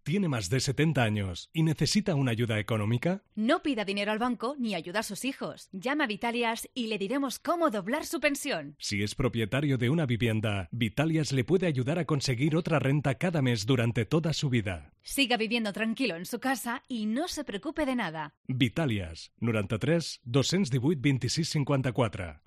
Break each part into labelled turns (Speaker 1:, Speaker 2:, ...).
Speaker 1: ¿Tiene más de 70 años y necesita una ayuda económica?
Speaker 2: No pida dinero al banco ni ayuda a sus hijos. Llama a Vitalias y le diremos cómo doblar su pensión.
Speaker 1: Si es propietario de una vivienda, Vitalias le puede ayudar a conseguir otra renta cada mes durante toda su vida.
Speaker 2: Siga viviendo tranquilo en su casa y no se preocupe de nada.
Speaker 1: Vitalias, 93 218 26 54.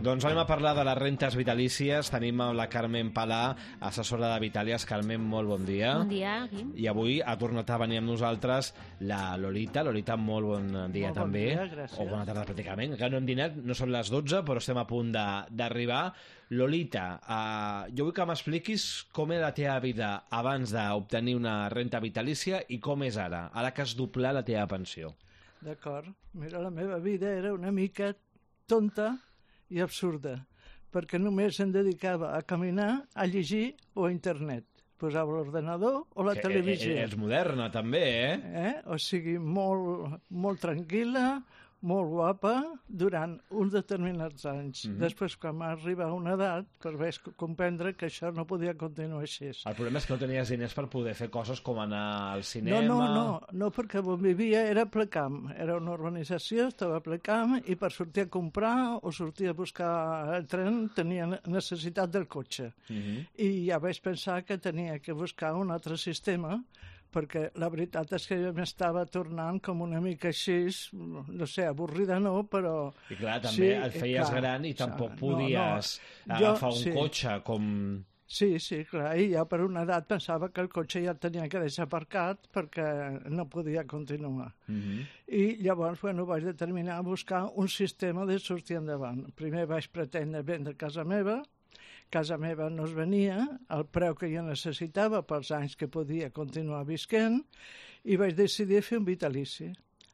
Speaker 3: Doncs anem a parlar de les rentes vitalícies. Tenim la Carmen Palà, assessora de Vitàlies. Carmen, molt bon dia.
Speaker 4: Bon dia, Guim.
Speaker 3: I avui ha tornat a venir amb nosaltres la Lolita. Lolita, molt bon dia
Speaker 5: molt
Speaker 3: també.
Speaker 5: Bon dia, gràcies.
Speaker 3: O bona tarda pràcticament. Encara no hem dinat, no són les 12, però estem a punt d'arribar. Lolita, jo vull que m'expliquis com era la teva vida abans d'obtenir una renta vitalícia i com és ara que has doblat la teva pensió.
Speaker 5: D'acord. Mira, la meva vida era una mica tonta i absurda, perquè només em dedicava a caminar, a llegir o a internet. Posava l'ordenador o la televisió.
Speaker 3: És moderna, també,
Speaker 5: O sigui, molt tranquil·la, molt guapa, durant uns determinats anys. Després, quan m'arriba a una edat, vaig comprendre que això no podia continuar així.
Speaker 3: El problema és que no tenies diners per poder fer coses com anar al cinema...
Speaker 5: No, perquè on vivia era a ple camp. Era una urbanització, estava a ple camp, i per sortir a comprar o sortir a buscar el tren tenia necessitat del cotxe. I ja vaig pensar que tenia que buscar un altre sistema, perquè la veritat és que jo m'estava tornant com una mica així, no sé, avorrida no, però...
Speaker 3: I clar, també et feies gran i tampoc podies agafar un cotxe com...
Speaker 5: Sí, clar, i ja per una edat pensava que el cotxe ja el tenia que deixar aparcat perquè no podia continuar. I llavors, vaig determinar buscar un sistema de sortir endavant. Primer vaig pretendre vendre casa meva no es venia, el preu que jo necessitava pels anys que podia continuar visquent, i vaig decidir fer un vitalici.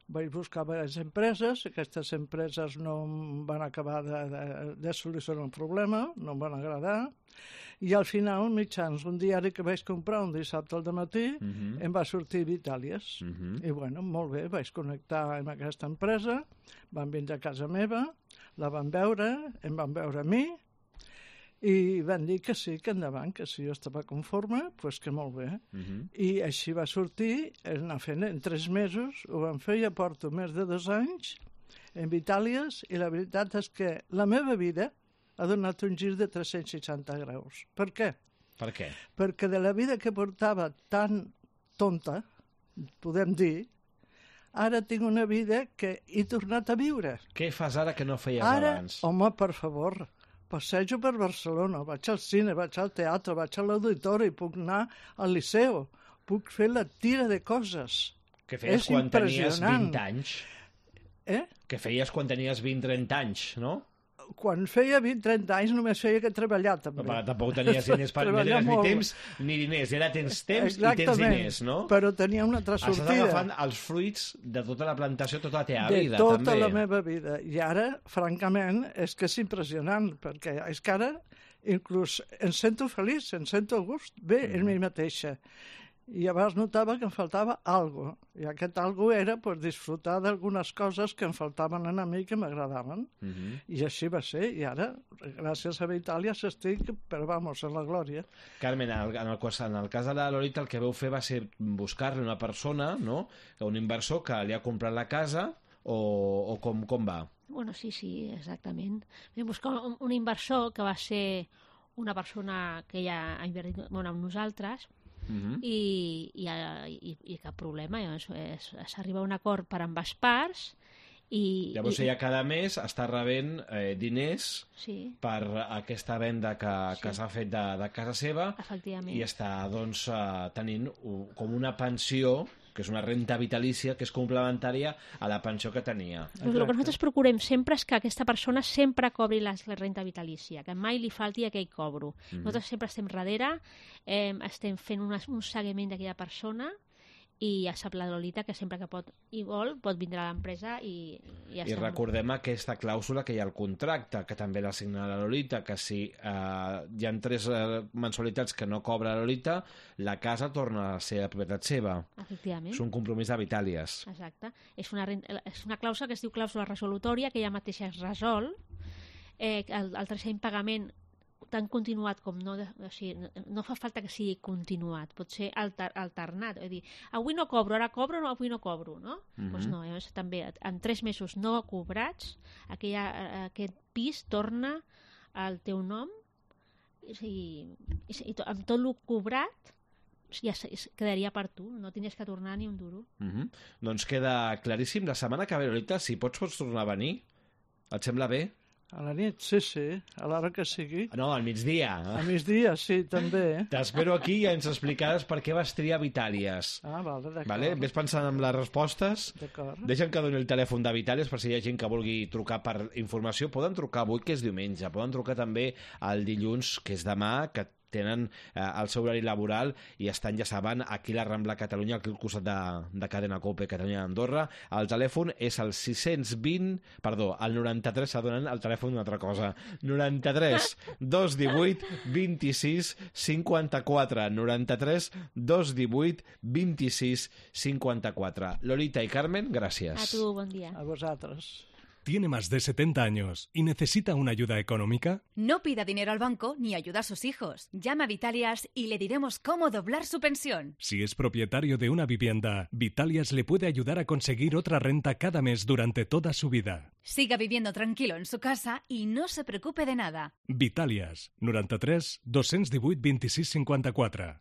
Speaker 5: Vaig buscar diverses empreses, aquestes empreses no em van acabar de solucionar el problema, no em van agradar, i al final, mitjans un diari que vaig comprar un dissabte al dematí, em va sortir Vitàlies. I molt bé, vaig connectar amb aquesta empresa, van vindre a casa meva, la van veure, em van veure a mi, i van dir que sí, que endavant, que si jo estava conforme, doncs que molt bé. I així va sortir, anar fent en 3 mesos, ho vam fer, ja porto més de 2 anys en Vitàlies, i la veritat és que la meva vida ha donat un gir de 360 graus. Per què?
Speaker 3: Per què?
Speaker 5: Perquè de la vida que portava tan tonta, podem dir, ara tinc una vida que he tornat a viure.
Speaker 3: Què fas ara que no feies abans?
Speaker 5: Ara, home, per favor, passejo per Barcelona, vaig al cine, vaig al teatre, vaig a l'auditori, puc anar al liceu, puc fer la tira de coses.
Speaker 3: Que feies quan tenies 20 anys? Que feies quan tenies 20-30 anys, no?
Speaker 5: Quan feia 20-30 anys només feia que treballar, també.
Speaker 3: Però tampoc tenies diners per ni temps ni diners. Ara tens temps i tens diners, no?
Speaker 5: Però tenia una altra sortida.
Speaker 3: Estàs agafant els fruits de tota la plantació, tota la teva vida,
Speaker 5: també.
Speaker 3: De
Speaker 5: tota la meva vida. I ara, francament, és que és impressionant, perquè és que ara inclús em sento feliç, em sento a gust bé en mi mateixa. I llavors notava que em faltava alguna cosa. I aquest alguna cosa era disfrutar d'algunes coses que em faltaven a mi que m'agradaven. I així va ser. I ara, gràcies a Vitàlies, estic, però vamos, en la glòria.
Speaker 3: Carmen, en el cas de la Lolita, el que vau fer va ser buscar-li una persona, no? Un inversor que li ha comprat la casa, o com va?
Speaker 4: Bueno, sí, exactament. Vam buscar un inversor que va ser una persona que ja ha invertit amb nosaltres, i cap problema, s'arriba a un acord per ambes parts.
Speaker 3: Llavors ella cada mes està rebent diners per aquesta venda que s'ha fet de casa seva, i està tenint com una pensió, que és una renta vitalícia, que és complementària a la pensió que tenia.
Speaker 4: El que nosaltres procurem sempre és que aquesta persona sempre cobri la renta vitalícia, que mai li falti aquell cobro. Nosaltres sempre estem darrere, estem fent un seguiment d'aquella persona, i ja sap la Lolita que sempre que pot i vol pot vindre a l'empresa i ja està.
Speaker 3: I recordem aquesta clàusula que hi ha al contracte, que també l'ha signat la Lolita, que si hi ha 3 mensualitats que no cobra la Lolita, la casa torna a ser de propietat seva.
Speaker 4: Efectivament.
Speaker 3: És un compromís de Vitàlies.
Speaker 4: Exacte. És una clàusula que es diu clàusula resolutòria, que ella mateixa es resol. El tercer impagament tan continuat com no... O sigui, no fa falta que sigui continuat, pot ser alternat. És a dir, avui no cobro, ara cobro, no, avui no cobro, no? Doncs no, llavors també en 3 mesos no cobrats, aquest pis torna al teu nom i amb tot el cobrat ja quedaria per tu, no tindries que tornar ni un duro.
Speaker 3: Doncs queda claríssim. La setmana que ve, Lolita, si pots tornar a venir, et sembla bé?
Speaker 5: A la nit, sí, a l'hora que sigui.
Speaker 3: No, al migdia.
Speaker 5: Al migdia, sí, també.
Speaker 3: T'espero aquí i ens explicaràs per què vas triar Vitàlies.
Speaker 5: D'acord.
Speaker 3: Vale? Ves pensant en les respostes.
Speaker 5: D'acord.
Speaker 3: Deixa'm que doni el telèfon de Vitàlies per si hi ha gent que vulgui trucar per informació. Poden trucar avui, que és diumenge. Poden trucar també el dilluns, que és demà, que tenen el seu horari laboral i estan, ja saben, aquí a la Rambla Catalunya, aquí al costat de Cadena Cope, Catalunya d'Andorra. El telèfon és el 93, s'adonen el telèfon d'una altra cosa. 93 218 26 54. 93 218 26 54. Lolita i Carmen, gràcies.
Speaker 4: A tu, bon dia.
Speaker 5: A vosaltres.
Speaker 1: ¿Tiene más de 70 años y necesita una ayuda económica?
Speaker 2: No pida dinero al banco ni ayuda a sus hijos. Llama a Vitalias y le diremos cómo doblar su pensión.
Speaker 1: Si es propietario de una vivienda, Vitalias le puede ayudar a conseguir otra renta cada mes durante toda su vida.
Speaker 2: Siga viviendo tranquilo en su casa y no se preocupe de nada.
Speaker 1: Vitalias, 93 218 26 54.